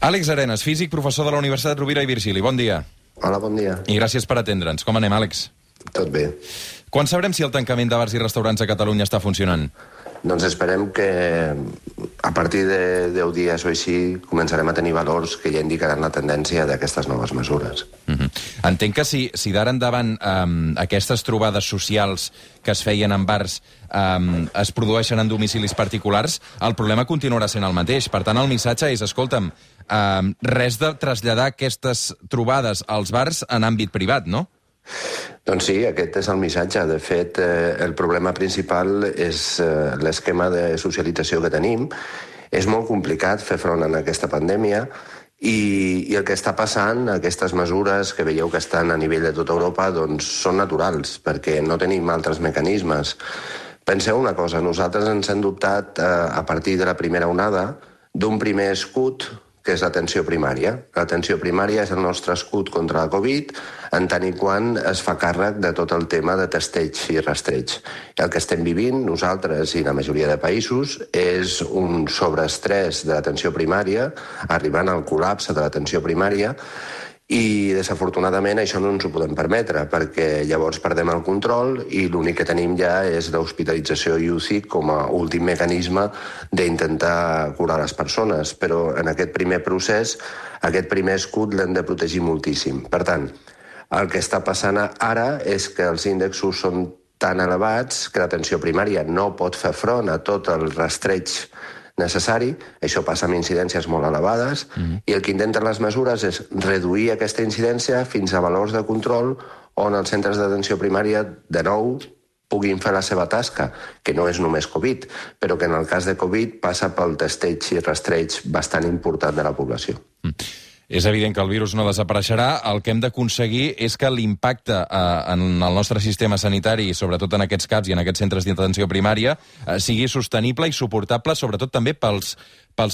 Àlex Arenas, físic, professor de la Universitat Rovira i Virgili. Bon dia. Hola, bon dia. I gràcies per atendre'ns. Com anem, Àlex? Tot bé. Quan sabrem si el tancament de bars i restaurants a Catalunya està funcionant? Doncs esperem que a partir de 10 dies o així començarem a tenir valors que ja indicaran la tendència d'aquestes noves mesures. Entenc que si d'ara endavant aquestes trobades socials que es feien en bars es produeixen en domicilis particulars, el problema continuarà sent el mateix. Per tant, el missatge és, escolta'm, res de traslladar aquestes trobades als bars en àmbit privat, no? Doncs sí, aquest és el missatge. De fet, el problema principal és l'esquema de socialització que tenim. És molt complicat fer front a aquesta pandèmia i el que està passant, aquestes mesures que veieu que estan a nivell de tota Europa, doncs són naturals, perquè no tenim altres mecanismes. Penseu una cosa, nosaltres ens hem dotat a partir de la primera onada d'un primer escut que és l'atenció primària. L'atenció primària és el nostre escut contra la Covid, en tant i quan es fa càrrec de tot el tema de testeig i rastreig. El que estem vivint, nosaltres i la majoria de països, és un sobreestrès de l'atenció primària, arribant al col·lapse de l'atenció primària, i desafortunadament això no ens ho podem permetre, perquè llavors perdem el control i l'únic que tenim ja és l'hospitalització i UCI com a últim mecanisme d'intentar curar les persones. Però en aquest primer procés, aquest primer escut l'hem de protegir moltíssim. Per tant, el que està passant ara és que els índexs són tan elevats que l'atenció primària no pot fer front a tot el rastreig necessari, això passa amb incidències molt elevades, i el que intenten les mesures és reduir aquesta incidència fins a valors de control on els centres d'atenció primària, de nou, puguin fer la seva tasca, que no és només Covid, però que en el cas de Covid passa pel testeig i rastreig bastant important de la població. És evident que el virus no desapareixerà. El que hem d'aconseguir és que l'impacte en el nostre sistema sanitari, sobretot en aquests CAPs i en aquests centres d'atenció primària, sigui sostenible i suportable, sobretot també pels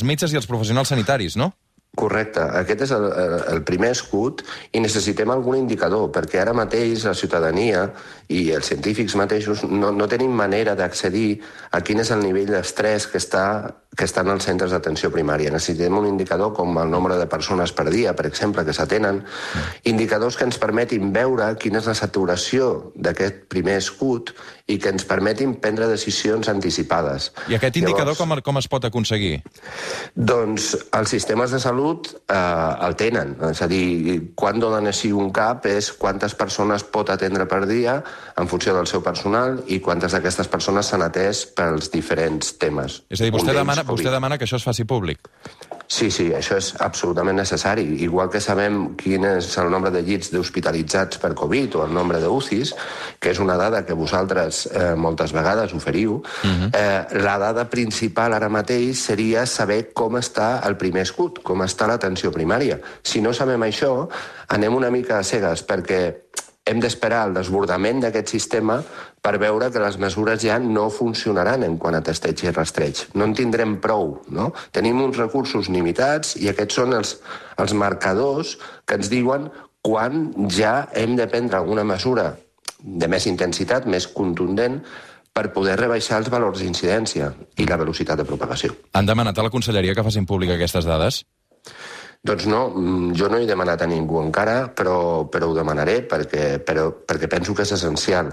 metges i els professionals sanitaris, no? Correcte. Aquest és el primer escut i necessitem algun indicador, perquè ara mateix la ciutadania i els científics mateixos no tenim manera d'accedir a quin és el nivell d'estrès que estan als centres d'atenció primària. Necessitem un indicador com el nombre de persones per dia, per exemple, que s'atenen, indicadors que ens permetin veure quina és la saturació d'aquest primer escut i que ens permetin prendre decisions anticipades. I aquest indicador com es pot aconseguir? Doncs els sistemes de salut el tenen. És a dir, quan donen així un CAP és quantes persones pot atendre per dia en funció del seu personal i quantes d'aquestes persones s'han atès pels diferents temes. És a dir, vostè demana que això es faci públic. Sí, això és absolutament necessari. Igual que sabem quin és el nombre de llits d'hospitalitzats per Covid o el nombre d'UCIs, que és una dada que vosaltres moltes vegades oferiu, la dada principal ara mateix seria saber com està el primer escut, com està l'atenció primària. Si no sabem això, anem una mica a cegues, perquè hem d'esperar el desbordament d'aquest sistema per veure que les mesures ja no funcionaran en quant a testeig i rastreig. No en tindrem prou, no? Tenim uns recursos limitats i aquests són els marcadors que ens diuen quan ja hem de prendre alguna mesura de més intensitat, més contundent, per poder rebaixar els valors d'incidència i la velocitat de propagació. Han demanat a la Conselleria que facin públic aquestes dades? Doncs no, jo no he demanat a ningú encara, però ho demanaré perquè penso que és essencial.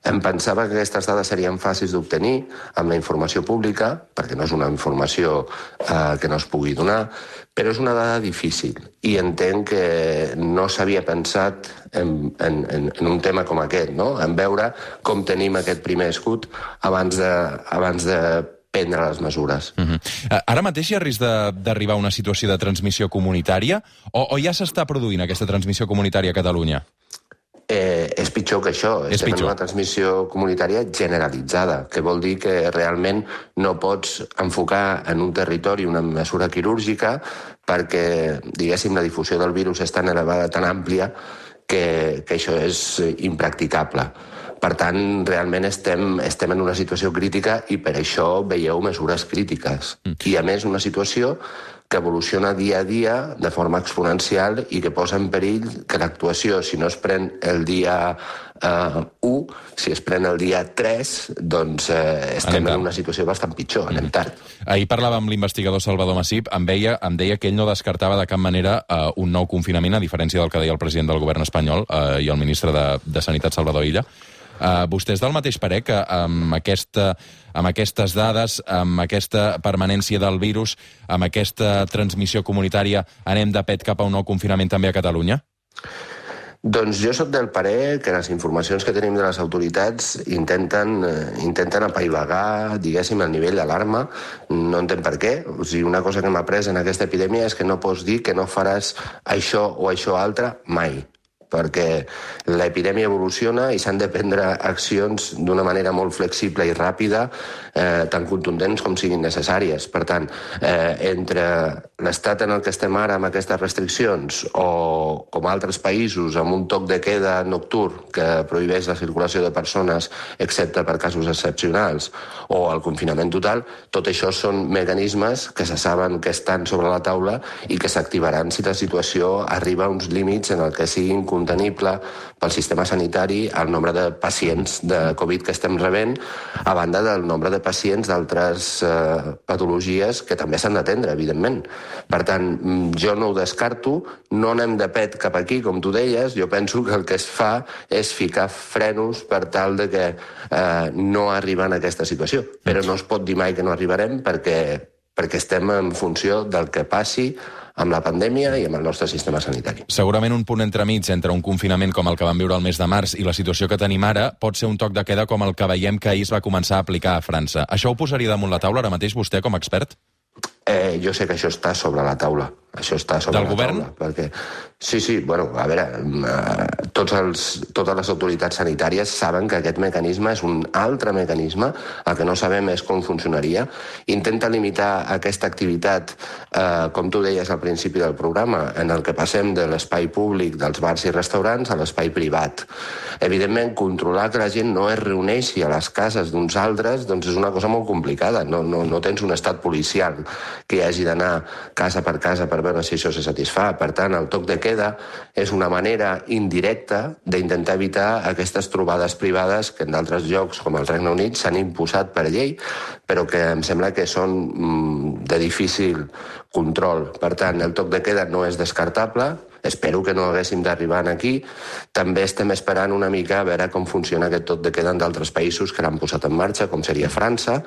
Em pensava que aquestes dades serien fàcils d'obtenir amb la informació pública, perquè no és una informació que no es pugui donar, però és una dada difícil i entenc que no s'havia pensat en un tema com aquest, no? En veure com tenim aquest primer escut abans de prendre les mesures. Ara mateix hi ha risc d'arribar a una situació de transmissió comunitària o ja s'està produint aquesta transmissió comunitària a Catalunya? És pitjor que això. Estem en una transmissió comunitària generalitzada, que vol dir que realment no pots enfocar en un territori una mesura quirúrgica perquè, diguéssim, la difusió del virus és tan elevada, tan àmplia, que això és impracticable. Per tant, realment estem en una situació crítica i per això veieu mesures crítiques. I, a més, una situació que evoluciona dia a dia de forma exponencial i que posa en perill que l'actuació, si no es pren el dia 1, si es pren el dia 3, doncs estem en una situació bastant pitjor, anem tard. Ahir parlava amb l'investigador Salvador Massip, em deia que ell no descartava de cap manera un nou confinament, a diferència del que deia el president del govern espanyol i el ministre de Sanitat, Salvador Illa. Vostè és del mateix parer que amb aquestes dades, amb aquesta permanència del virus, amb aquesta transmissió comunitària, anem de pet cap a un nou confinament també a Catalunya? Doncs jo sóc del parer que les informacions que tenim de les autoritats intenten apaivagar, diguéssim, el nivell d'alarma. No entenc per què. O sigui, una cosa que m'ha après en aquesta epidèmia és que no pots dir que no faràs això o això altre mai, perquè l'epidèmia evoluciona i s'han de prendre accions d'una manera molt flexible i ràpida, tan contundents com siguin necessàries. Per tant, entre l'estat en el que estem ara amb aquestes restriccions o com altres països amb un toc de queda nocturn que prohibeix la circulació de persones excepte per casos excepcionals o el confinament total, tot això són mecanismes que se saben que estan sobre la taula i que s'activaran si la situació arriba a uns límits en el que siguin contenible pel sistema sanitari el nombre de pacients de Covid que estem rebent, a banda del nombre de pacients d'altres patologies que també s'han d'atendre, evidentment. Per tant, jo no ho descarto, no anem de pet cap aquí, com tu deies, jo penso que el que es fa és ficar frenos per tal de que no arribar a aquesta situació. Però no es pot dir mai que no arribarem perquè estem en funció del que passi amb la pandèmia i amb el nostre sistema sanitari. Segurament un punt entremig entre un confinament com el que vam viure el mes de març i la situació que tenim ara pot ser un toc de queda com el que veiem que ahir es va començar a aplicar a França. Això ho posaria damunt la taula ara mateix vostè com a expert? Jo sé que això està sobre la taula. Això està sobre la govern? Taula. Perquè... Sí, bueno, a veure, totes les autoritats sanitàries saben que aquest mecanisme és un altre mecanisme, el que no sabem és com funcionaria. Intenta limitar aquesta activitat, com tu deies al principi del programa, en el que passem de l'espai públic dels bars i restaurants a l'espai privat. Evidentment, controlar que la gent no es reuneixi a les cases d'uns altres doncs és una cosa molt complicada. No tens un estat policial que hagi d'anar casa per casa per veure si això se satisfà. Per tant, el toc de queda és una manera indirecta d'intentar evitar aquestes trobades privades que en d'altres llocs, com el Regne Unit, s'han imposat per llei, però que em sembla que són de difícil control. Per tant, el toc de queda no és descartable. Espero que no haguéssim d'arribar aquí. També estem esperant una mica a veure com funciona aquest toc de queda en d'altres països que l'han posat en marxa, com seria França,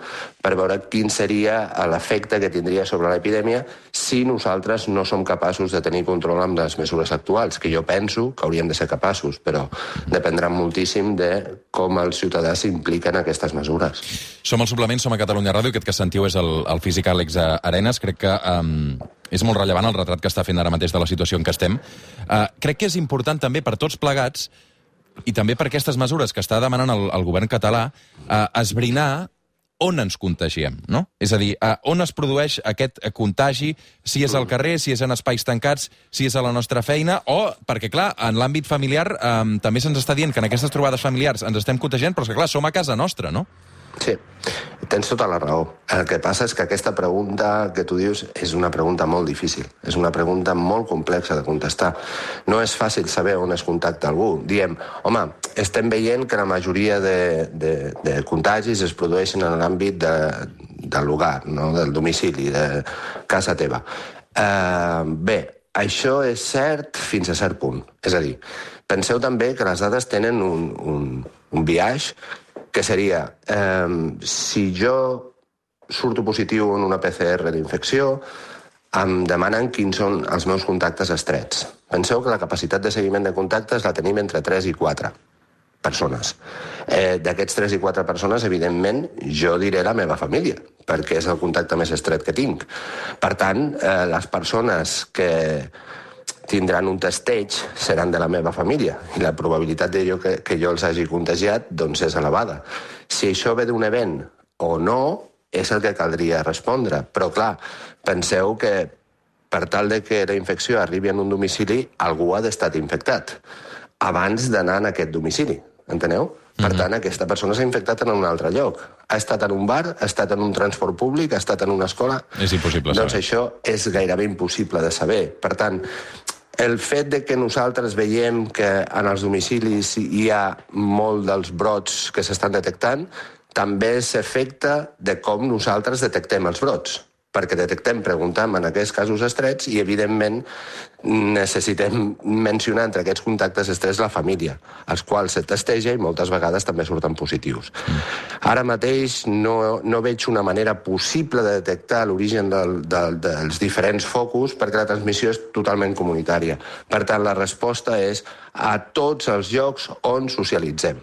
per veure quin seria l'efecte que tindria sobre l'epidèmia si nosaltres no som capaços de tenir control amb les mesures actuals, que jo penso que hauríem de ser capaços, però dependrà moltíssim de com el ciutadà s'implica en aquestes mesures. Som al Suplement, som a Catalunya Ràdio, aquest que sentiu és el físic Àlex Arenas. Crec que és molt rellevant el retrat que està fent ara mateix de la situació en què estem. Crec que és important també per tots plegats, i també per aquestes mesures que està demanant el govern català, esbrinar on ens contagiem, no? És a dir, on es produeix aquest contagi, si és al carrer, si és en espais tancats, si és a la nostra feina, o, perquè clar, en l'àmbit familiar també se'ns està dient que en aquestes trobades familiars ens estem contagiant, però és que clar, som a casa nostra, no? Sí, tens tota la raó. El que passa és que aquesta pregunta que tu dius és una pregunta molt difícil. És una pregunta molt complexa de contestar. No és fàcil saber on es contacta algú. Diem, home, estem veient que la majoria de contagis es produeixen en l'àmbit del lugar, no? Del domicili, de casa teva. Bé, això és cert fins a cert punt. És a dir, penseu també que les dades tenen un biaix que seria, si jo surto positiu en una PCR d'infecció, em demanen quins són els meus contactes estrets. Penseu que la capacitat de seguiment de contactes la tenim entre 3 i 4 persones. D'aquests 3 i 4 persones, evidentment, jo diré la meva família, perquè és el contacte més estret que tinc. Per tant, les persones que tindran un testeig seran de la meva família i la probabilitat que jo els hagi contagiat doncs és elevada. Si això ve d'un event o no, és el que caldria respondre. Però clar, penseu que per tal de que la infecció arribi en un domicili, algú ha d'estar infectat abans d'anar en aquest domicili. enteneu? Per tant, aquesta persona s'ha infectat en un altre lloc. Ha estat en un bar, ha estat en un transport públic, ha estat en una escola... És impossible saber. Doncs saber. això és gairebé impossible de saber. Per tant, el fet de que nosaltres veiem que en els domicilis hi ha molt dels brots que s'estan detectant, també s'afecta de com nosaltres detectem els brots. Perquè detectem, preguntem en aquests casos estrets i, evidentment, necessitem mencionar entre aquests contactes estrets la família, els quals se testeja i moltes vegades també surten positius. Ara mateix no veig una manera possible de detectar l'origen dels diferents focus perquè la transmissió és totalment comunitària. Per tant, la resposta és a tots els llocs on socialitzem.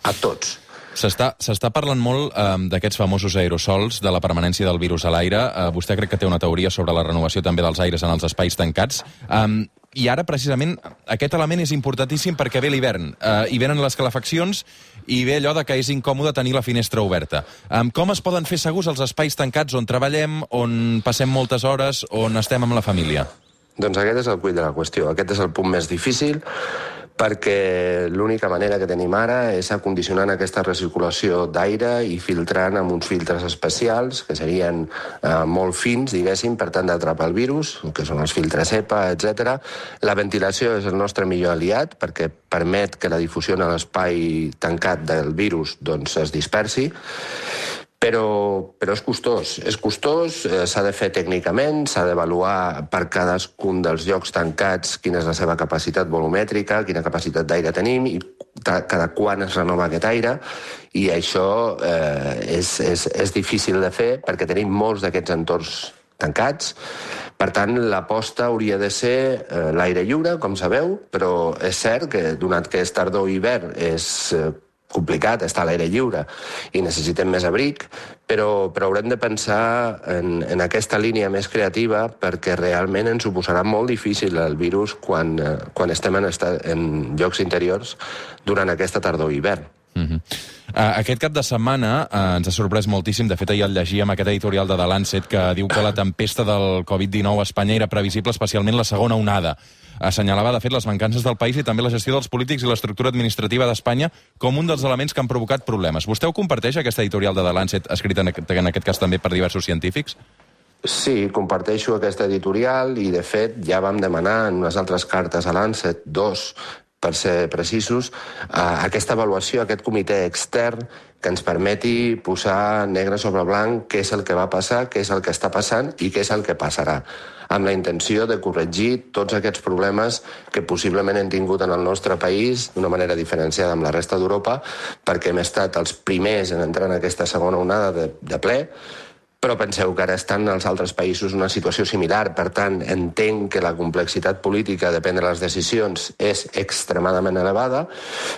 A tots. S'està parlant molt d'aquests famosos aerosols, de la permanència del virus a l'aire. Vostè crec que té una teoria sobre la renovació també dels aires en els espais tancats. I ara, precisament, aquest element és importantíssim perquè ve l'hivern. Hi venen les calefaccions i ve allò de que és incòmode tenir la finestra oberta. Com es poden fer segurs els espais tancats on treballem, on passem moltes hores, on estem amb la família? Doncs aquest és el quid de la qüestió. Aquest és el punt més difícil, perquè l'única manera que tenim ara és acondicionant aquesta recirculació d'aire i filtrant amb uns filtres especials, que serien molt fins, diguéssim, per tant d'atrapar el virus, que són els filtres EPA, etc. La ventilació és el nostre millor aliat, perquè permet que la difusió en l'espai tancat del virus doncs, es dispersi, però és costós. És costós, s'ha de fer tècnicament, s'ha d'avaluar per cadascun dels llocs tancats quina és la seva capacitat volumètrica, quina capacitat d'aire tenim i cada quan es renova aquest aire, i això és difícil de fer perquè tenim molts d'aquests entorns tancats. Per tant, l'aposta hauria de ser l'aire lliure, com sabeu, però és cert que, donat que és tardor i hivern, és complicat estar a l'aire lliure i necessitem més abric, però haurem de pensar en aquesta línia més creativa perquè realment ens ho posarà molt difícil el virus quan estem en llocs interiors durant aquesta tardor i hivern. Aquest cap de setmana ens ha sorprès moltíssim. De fet, ahir el llegíem, aquest editorial de The Lancet, que diu que la tempesta del Covid-19 a Espanya era previsible, especialment la segona onada. Assenyalava, de fet, les mancances del país i també la gestió dels polítics i l'estructura administrativa d'Espanya com un dels elements que han provocat problemes. Vostè ho comparteix, aquest editorial de The Lancet, escrit en aquest cas també per diversos científics? Sí, comparteixo aquest editorial i, de fet, ja vam demanar en unes altres cartes a Lancet, 2, per ser precisos, aquesta avaluació, aquest comitè extern que ens permeti posar negre sobre blanc què és el que va passar, què és el que està passant i què és el que passarà, amb la intenció de corregir tots aquests problemes que possiblement hem tingut en el nostre país d'una manera diferenciada amb la resta d'Europa, perquè hem estat els primers en entrar en aquesta segona onada de ple, però penseu que ara estan als altres països una situació similar. Per tant, entenc que la complexitat política de prendre les decisions és extremadament elevada,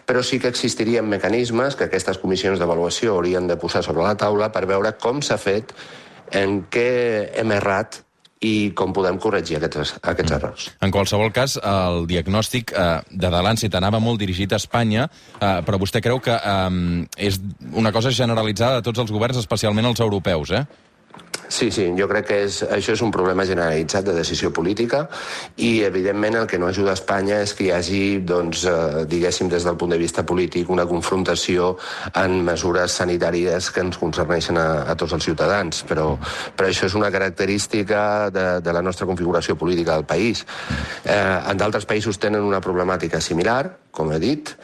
però sí que existirien mecanismes que aquestes comissions d'avaluació haurien de posar sobre la taula per veure com s'ha fet, en què hem errat i com podem corregir aquests errors. En qualsevol cas, el diagnòstic de The Lancet anava molt dirigit a Espanya, però vostè creu que és una cosa generalitzada de tots els governs, especialment els europeus, Sí, jo crec que això és un problema generalitzat de decisió política i, evidentment, el que no ajuda a Espanya és que hi hagi, doncs, diguéssim, des del punt de vista polític, una confrontació en mesures sanitàries que ens concerneixen a tots els ciutadans, però això és una característica de la nostra configuració política del país. En d'altres països tenen una problemàtica similar, com he dit,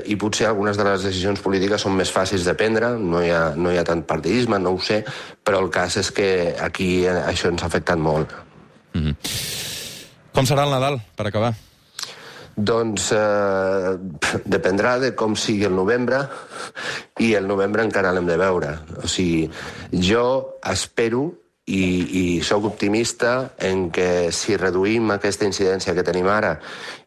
i potser algunes de les decisions polítiques són més fàcils de prendre, no hi ha tant partidisme, no ho sé, però el cas és que aquí això ens ha afectat molt. Com serà el Nadal, per acabar? Doncs dependrà de com sigui el novembre, i el novembre encara l'hem de veure. O sigui, jo espero i sóc optimista en que si reduïm aquesta incidència que tenim ara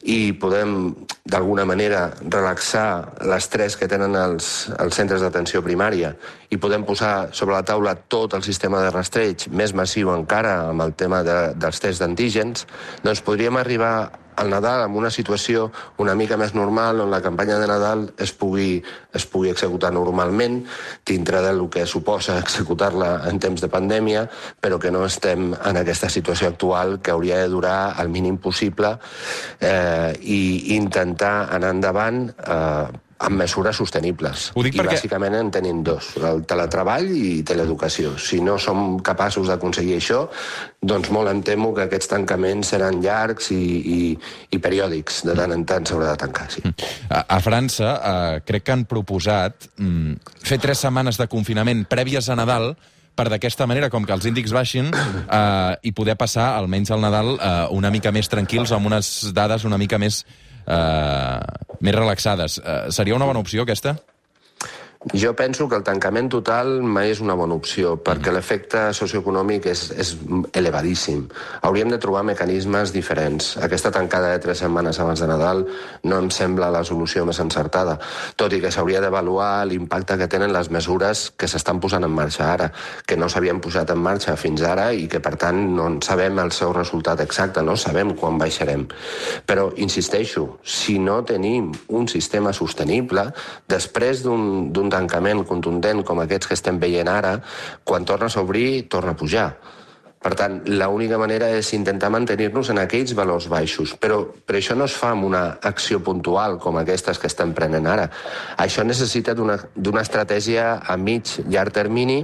i podem, d'alguna manera, relaxar l'estrès que tenen els centres d'atenció primària i podem posar sobre la taula tot el sistema de rastreig, més massiu encara amb el tema dels tests d'antígens, doncs podríem arribar al Nadal amb una situació una mica més normal, on la campanya de Nadal es pugui executar normalment, dintre del que suposa executar-la en temps de pandèmia, però que no estem en aquesta situació actual que hauria de durar el mínim possible i intentar anar endavant amb mesures sostenibles. Ho dic I perquè... bàsicament en tenim dos, el teletreball i teleeducació. Si no som capaços d'aconseguir això, doncs molt em temo que aquests tancaments seran llargs i periòdics. De tant en tant s'haurà de tancar, sí. A França crec que han proposat fer 3 setmanes de confinament prèvies a Nadal per d'aquesta manera, com que els índexs baixin, i poder passar, almenys al Nadal, una mica més tranquils, amb unes dades una mica més relaxades. Seria una bona opció, aquesta? Jo penso que el tancament total mai és una bona opció, perquè l'efecte socioeconòmic és elevadíssim. Hauríem de trobar mecanismes diferents. Aquesta tancada de 3 setmanes abans de Nadal no em sembla la solució més encertada, tot i que s'hauria d'avaluar l'impacte que tenen les mesures que s'estan posant en marxa ara, que no s'havien posat en marxa fins ara i que, per tant, no en sabem el seu resultat exacte, no sabem quan baixarem. Però, insisteixo, si no tenim un sistema sostenible, després d'un tancament contundent com aquests que estem veient ara, quan tornes a obrir, torna a pujar. Per tant, l'única manera és intentar mantenir-nos en aquells valors baixos. Però això no es fa amb una acció puntual com aquestes que estem prenent ara. Això necessita d'una estratègia a mig, llarg termini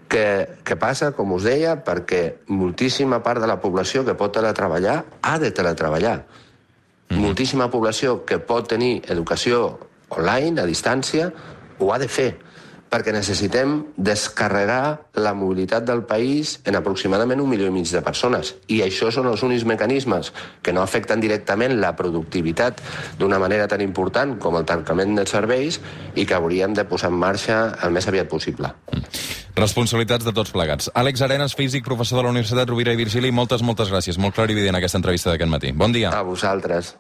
que passa, com us deia, perquè moltíssima part de la població que pot teletreballar ha de teletreballar. Moltíssima població que pot tenir educació online, a distància, ho ha de fer, perquè necessitem descarregar la mobilitat del país en aproximadament 1,5 milió de persones. I això són els únics mecanismes que no afecten directament la productivitat d'una manera tan important com el tancament dels serveis i que hauríem de posar en marxa el més aviat possible. Responsabilitats de tots plegats. Àlex Arenas, físic, professor de la Universitat Rovira i Virgili, moltes gràcies. Molt clarivident aquesta entrevista d'aquest matí. Bon dia. A vosaltres.